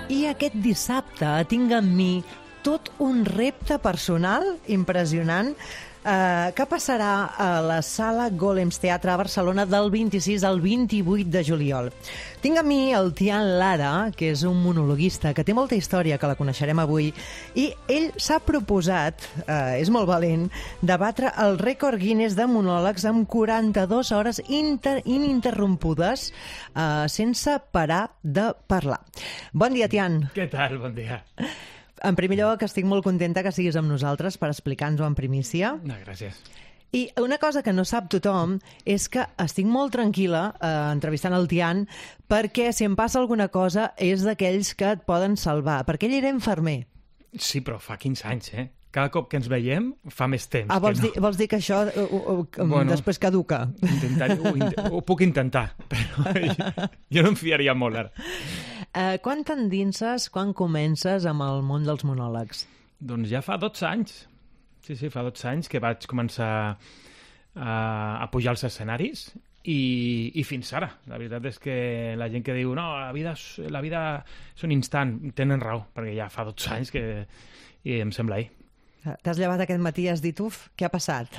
Speaker 3: I aquest dissabte tinc amb mi tot un repte personal impressionant que passarà a la Sala Golems Teatre a Barcelona del 26 al 28 de juliol. Tinc amb mi el Tian Lara, que és un monologuista que té molta història, que la coneixerem avui, i ell s'ha proposat, és molt valent, de batre el rècord Guinness de monòlegs amb 42 hores ininterrompudes sense parar de parlar. Bon dia, Tian.
Speaker 5: Què tal? Bon dia.
Speaker 3: En primer lloc, estic molt contenta que siguis amb nosaltres per explicar-nos-ho en primícia.
Speaker 5: No, gràcies.
Speaker 3: I una cosa que no sap tothom és que estic molt tranquil·la entrevistant el Tian perquè si em passa alguna cosa és d'aquells que et poden salvar, perquè ell era infermer.
Speaker 5: Sí, però fa 15 anys, Cada cop que ens veiem fa més temps.
Speaker 3: Vols dir que això després caduca?
Speaker 5: Ho puc intentar, però jo no em fiaria molt ara.
Speaker 3: Quan t'endinses, quan comences amb el món dels monòlegs?
Speaker 5: Doncs ja fa 12 anys. Sí, fa 12 anys que vaig començar a pujar als escenaris i fins ara. La veritat és que la gent que diu no, la vida és un instant, tenen raó, perquè ja fa 12 anys i em sembla ahir.
Speaker 3: T'has llevat aquest matí i has dit, què ha passat?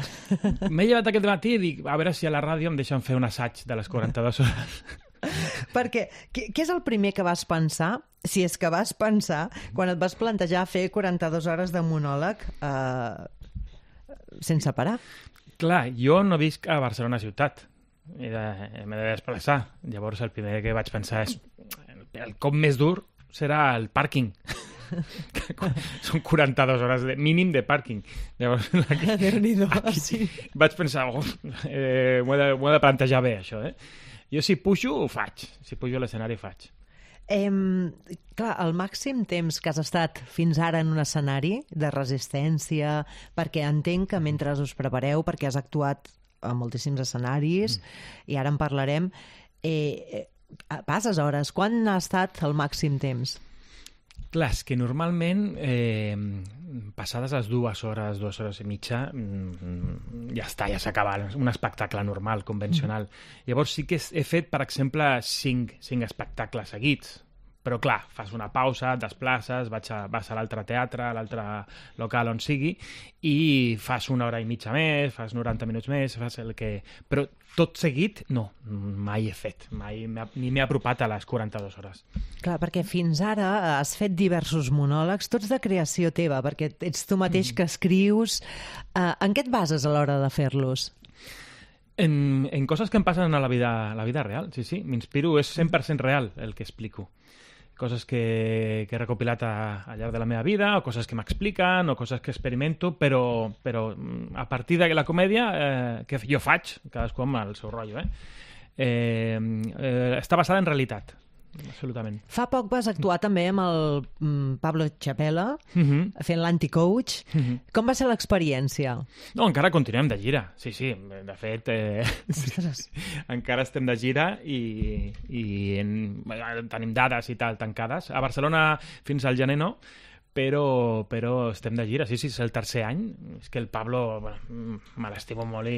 Speaker 5: M'he llevat aquest matí i dic, a veure si a la ràdio em deixen fer un assaig de les 42 hores.
Speaker 3: Perquè, què és el primer que vas pensar, si és que vas pensar, quan et vas plantejar fer 42 hores de monòleg sense parar?
Speaker 5: Clar, jo no visc a Barcelona ciutat. M'he de desplaçar. Llavors el primer que vaig pensar és el cop més dur serà el pàrquing. Són 42 hores mínim de pàrquing. Llavors
Speaker 3: sí.
Speaker 5: Vaig pensar m'ho he de plantejar bé això. Jo si pujo ho faig, si pujo a l'escenari ho faig.
Speaker 3: Clar, el màxim temps que has estat fins ara en un escenari de resistència, perquè entenc que mentre us prepareu, perquè has actuat a moltíssims escenaris i ara en parlarem, passes hores. Quan ha estat el màxim temps?
Speaker 5: Clar, és que normalment passades les 2 hores, 2 hores i mitja, ja està, ja s'acaba un espectacle normal, convencional. Llavors sí que he fet, per exemple, 5 espectacles seguits, però clar, fas una pausa, et desplaces, vas a l'altre teatre, a l'altre local on sigui, i fas 1 hora i mitja més, fas 90 minuts més, fas el que... Però tot seguit, no, mai he fet, ni m'he apropat a les 42 hores.
Speaker 3: Clar, perquè fins ara has fet diversos monòlegs, tots de creació teva, perquè ets tu mateix que escrius. En què et bases a l'hora de fer-los?
Speaker 5: En coses que em passen a la vida real, sí. M'inspiro, és 100% real el que explico. Coses que he recopilat al llarg de la meva vida, o coses que m'expliquen, o coses que experimento, però a partir de la comèdia que jo faig, cadascú amb el seu rotllo, està basada en realitat, absolutament.
Speaker 3: Fa poc vas actuar també amb el Pablo Chapela, fent l'Anti-Coach. Com va ser l'experiència?
Speaker 5: No, encara continuem de gira, sí. De fet, encara estem de gira i tenim dades i tal tancades. A Barcelona fins al gener no, però estem de gira, sí, és el tercer any. És que el Pablo me l'estimo molt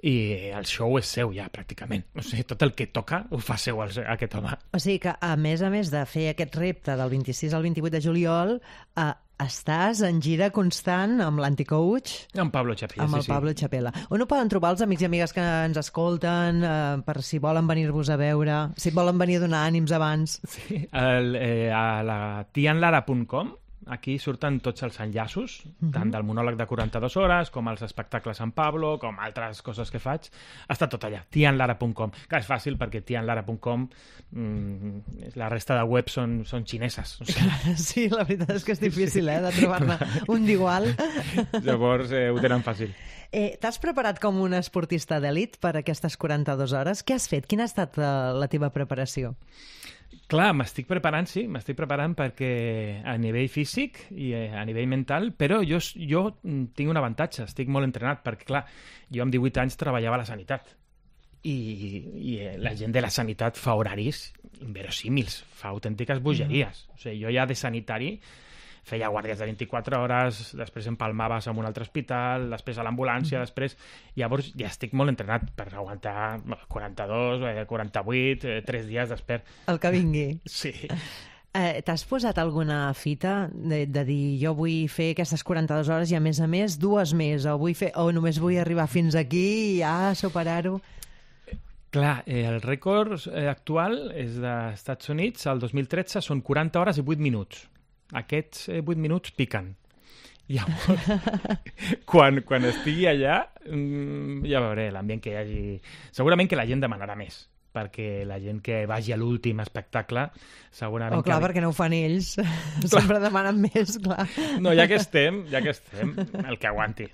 Speaker 5: i el show és seu ja, pràcticament. O sigui, tot el que toca ho fa seu aquest home.
Speaker 3: O sigui que, a més de fer aquest repte del 26 al 28 de juliol, estàs en gira constant amb l'Anti-Coach?
Speaker 5: Amb Pablo Chapela,
Speaker 3: amb el Pablo Chapela. On ho poden trobar els amics i amigues que ens escolten, per si volen venir-vos a veure, si volen venir a donar ànims abans?
Speaker 5: Sí, a la tianlara.com. Aquí surten tots els enllaços, tant del monòleg de 42 hores, com els espectacles amb Pablo, com altres coses que faig. Està tot allà, tianlara.com. Clar, és fàcil perquè tianlara.com, la resta de webs són xineses. O sigui...
Speaker 3: Sí, la veritat és que és difícil, de trobar-ne un d'igual.
Speaker 5: Llavors ho tenen fàcil.
Speaker 3: T'has preparat com un esportista d'elit per aquestes 42 hores? Què has fet? Quina ha estat la teva preparació?
Speaker 5: Clar, m'estic preparant perquè a nivell físic i a nivell mental, però jo tinc un avantatge, estic molt entrenat, perquè clar, jo amb 18 anys treballava a la sanitat i la gent de la sanitat fa horaris inverosímils, fa autèntiques bogeries. O sigui, jo ja de sanitari feia guàrdies de 24 hores, després empalmaves en un altre hospital, després a l'ambulància, llavors ja estic molt entrenat per aguantar 42, 48, 3 dies després.
Speaker 3: El que vingui.
Speaker 5: Sí.
Speaker 3: T'has posat alguna fita de dir jo vull fer aquestes 42 hores i a més 2 més, o només vull arribar fins aquí i ja superar-ho?
Speaker 5: Clar, el rècord actual és dels Estats Units, el 2013 són 40 hores i 8 minuts. Aquests 8 minuts piquen. Llavors, quan estigui allà, ja veuré l'ambient que hi hagi. Segurament que la gent demanarà més. perquè la gent que vagi a l'últim espectacle segurament...
Speaker 3: clar, perquè no ho fan ells. Sempre demanen més, clar.
Speaker 5: No, ja que estem, el que aguanti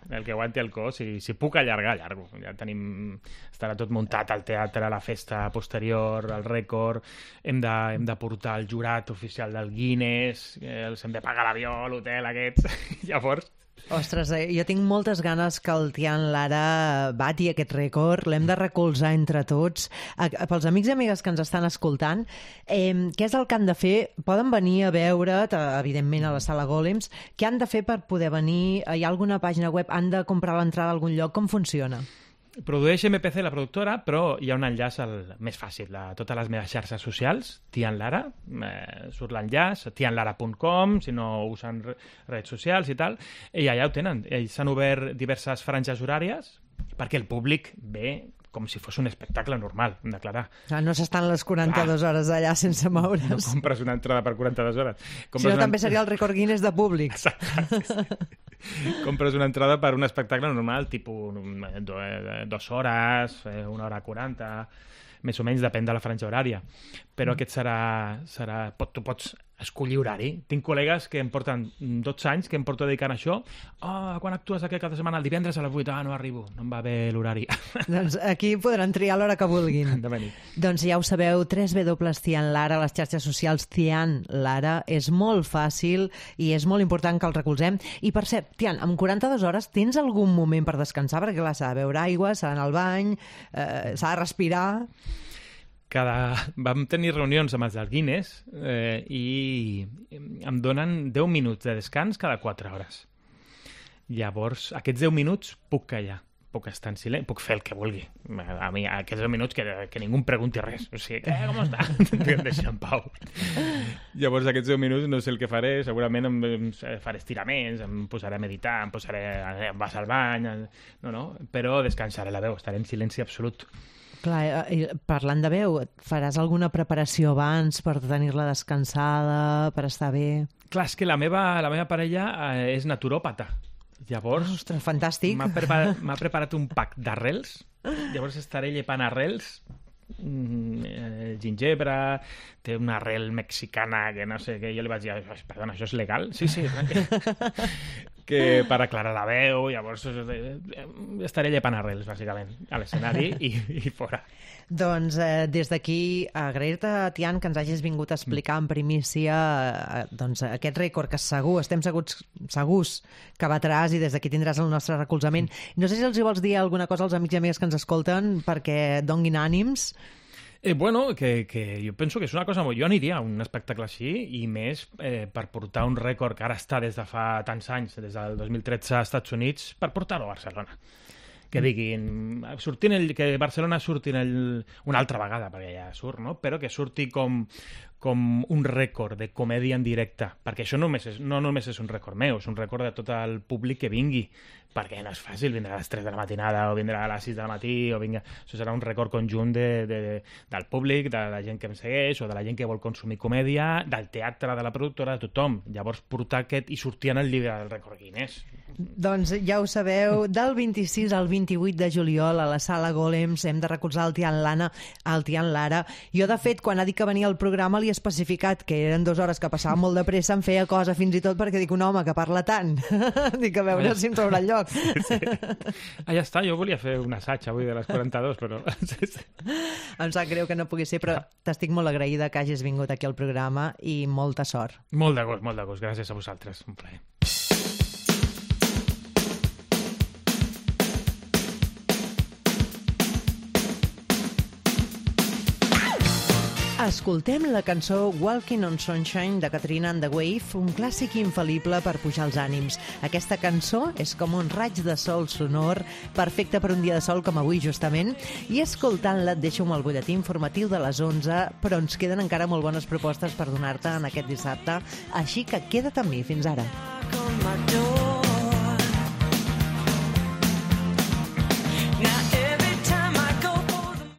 Speaker 5: el cos, i si puc allargar, allargo. Ja tenim... Estarà tot muntat al teatre, la festa posterior, el rècord, hem de portar el jurat oficial del Guinness, els hem de pagar l'avió, l'hotel, aquests... Llavors...
Speaker 3: Ostres, jo tinc moltes ganes que el Tian Lara bati aquest rècord, l'hem de recolzar entre tots. Pels amics i amigues que ens estan escoltant, què és el que han de fer? Poden venir a veure't, evidentment, a la Sala Golems. Què han de fer per poder venir? Hi ha alguna pàgina web? Han de comprar l'entrada a algun lloc? Com funciona?
Speaker 5: Produeix MPC la productora, però hi ha un enllaç més fàcil a totes les meves xarxes socials, Tian Lara, surt l'enllaç, tianlara.com, si no usen redes socials i tal, i allà ho tenen. Ells s'han obert diverses franges horàries perquè el públic ve com si fos un espectacle normal, hem d'aclarar.
Speaker 3: No s'estan les 42 hores allà sense moure's.
Speaker 5: No compres una entrada per 42 hores.
Speaker 3: Si no, també seria el rècord Guinness de públic.
Speaker 5: Exacte. Compres una entrada per un espectacle normal, tipus 2 hores, 1 hora 40, més o menys, depèn de la franja horària. Però aquest serà... Tu pots escollir horari. Tinc col·legues que em porten 12 anys que em porto dedicant a això. Quan actues aquest cap de setmana? El divendres a les 8. No arribo, no em va bé l'horari.
Speaker 3: Doncs aquí podran triar l'hora que vulguin.
Speaker 5: De venir.
Speaker 3: Doncs ja ho sabeu, www.tianlara, les xarxes socials Tian Lara. És molt fàcil i és molt important que el recolzem. I per cert, Tian, amb 42 hores tens algun moment per descansar? Perquè clar, s'ha de beure aigua, s'ha d'anar al bany, s'ha de respirar...
Speaker 5: Vam tenir reunions amb els del Guinness i em donen 10 minuts de descans cada 4 hores. Llavors, aquests 10 minuts puc callar, puc estar en silenci, puc fer el que vulgui. A mi, aquests 10 minuts que ningú em pregunti res. O sigui, com està? Em deixa en pau. Llavors, aquests 10 minuts no sé el que faré. Segurament em faré estiraments, em posaré a meditar, em vas al bany... No, però descansaré la veu, estaré en silenci absolut.
Speaker 3: Clar, parlant de veu, faràs alguna preparació abans per tenir-la descansada, per estar bé?
Speaker 5: Clar, és que la meva parella és naturòpata. Llavors...
Speaker 3: Ostres, fantàstic!
Speaker 5: M'ha preparat un pack d'arrels. Llavors estaré llepant arrels, gingebre, té una arrel mexicana que no sé què, jo li vaig dir, perdona, això és legal? Sí, que per aclarar la veu, llavors estaré llepant arrels, bàsicament, a l'escenari i fora.
Speaker 3: Doncs des d'aquí agrair-te, Tian, que ens hagis vingut a explicar en primícia aquest rècord que estem segurs que batràs i des d'aquí tindràs el nostre recolzament. No sé si els hi vols dir alguna cosa als amics i amigues que ens escolten perquè donguin ànims.
Speaker 5: Bueno, que jo penso que és una cosa molt... Jo aniria a un espectacle així i més per portar un rècord que ara està des de fa tants anys, des del 2013 als Estats Units, per portar-ho a Barcelona. Que diguin, que Barcelona surti una altra vegada, perquè ja surt, no? Però que surti com un rècord de comèdia en directe, perquè això no només és un rècord meu, és un rècord de tot el públic que vingui, perquè no és fàcil vindre a les 3 de la matinada o vindre a les 6 del matí, això serà un rècord conjunt del públic, de la gent que em segueix o de la gent que vol consumir comèdia, del teatre, de la productora, de tothom. Llavors portar aquest i sortir en el llibre del rècord Guinness.
Speaker 3: Doncs ja ho sabeu, del 26 al 28 de juliol a la Sala Golems hem de recolzar el Tian Lara. Jo, de fet, quan ha dit que venia al programa li he especificat que eren 2 hores que passava molt de pressa, em feia cosa fins i tot perquè dic, un home que parla tant, dic, a veure si em trobarà el lloc.
Speaker 5: Sí. Ja està, jo volia fer un assaig avui de les 42, però...
Speaker 3: Em sap greu que no pugui ser, però t'estic molt agraïda que hagis vingut aquí al programa i molta sort.
Speaker 5: Molt de gust, gràcies a vosaltres, un plaer.
Speaker 3: Escoltem la cançó Walking on Sunshine de Katrina and the Wave, un clàssic infal·lible per pujar els ànims. Aquesta cançó és com un raig de sol sonor, perfecte per un dia de sol com avui justament, i escoltant-la et deixo amb el butlletí informatiu de les 11, però ens queden encara molt bones propostes per donar-te en aquest dissabte, així que queda't amb mi. Fins ara.